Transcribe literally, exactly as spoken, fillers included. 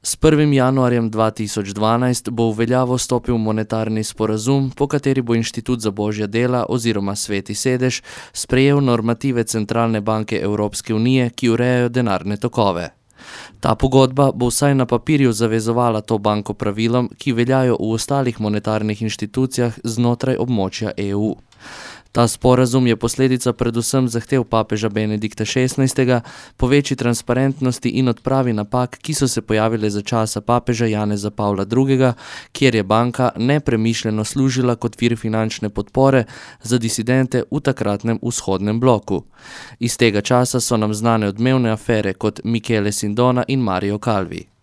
S prvim januarjem dva tisoč dvanajst bo v veljavo stopil monetarni sporazum, po kateri bo Inštitut za božja dela oziroma Sveti sedež sprejel normative Centralne banke Evropske unije, ki urejajo denarne tokove. Ta pogodba bo vsaj na papirju zavezovala to banko pravilom, ki veljajo v ostalih monetarnih inštitucijah znotraj območja E U. Ta sporazum je posledica predvsem zahtev papeža Benedikta šestnajstega po večji transparentnosti in odpravi napak, ki so se pojavile za časa papeža Janeza Pavla drugega, kjer je banka nepremišljeno služila kot vir finančne podpore za disidente v takratnem vzhodnem bloku. Iz tega časa so nam znane odmevne afere kot Michele Sindona in Mario Calvi.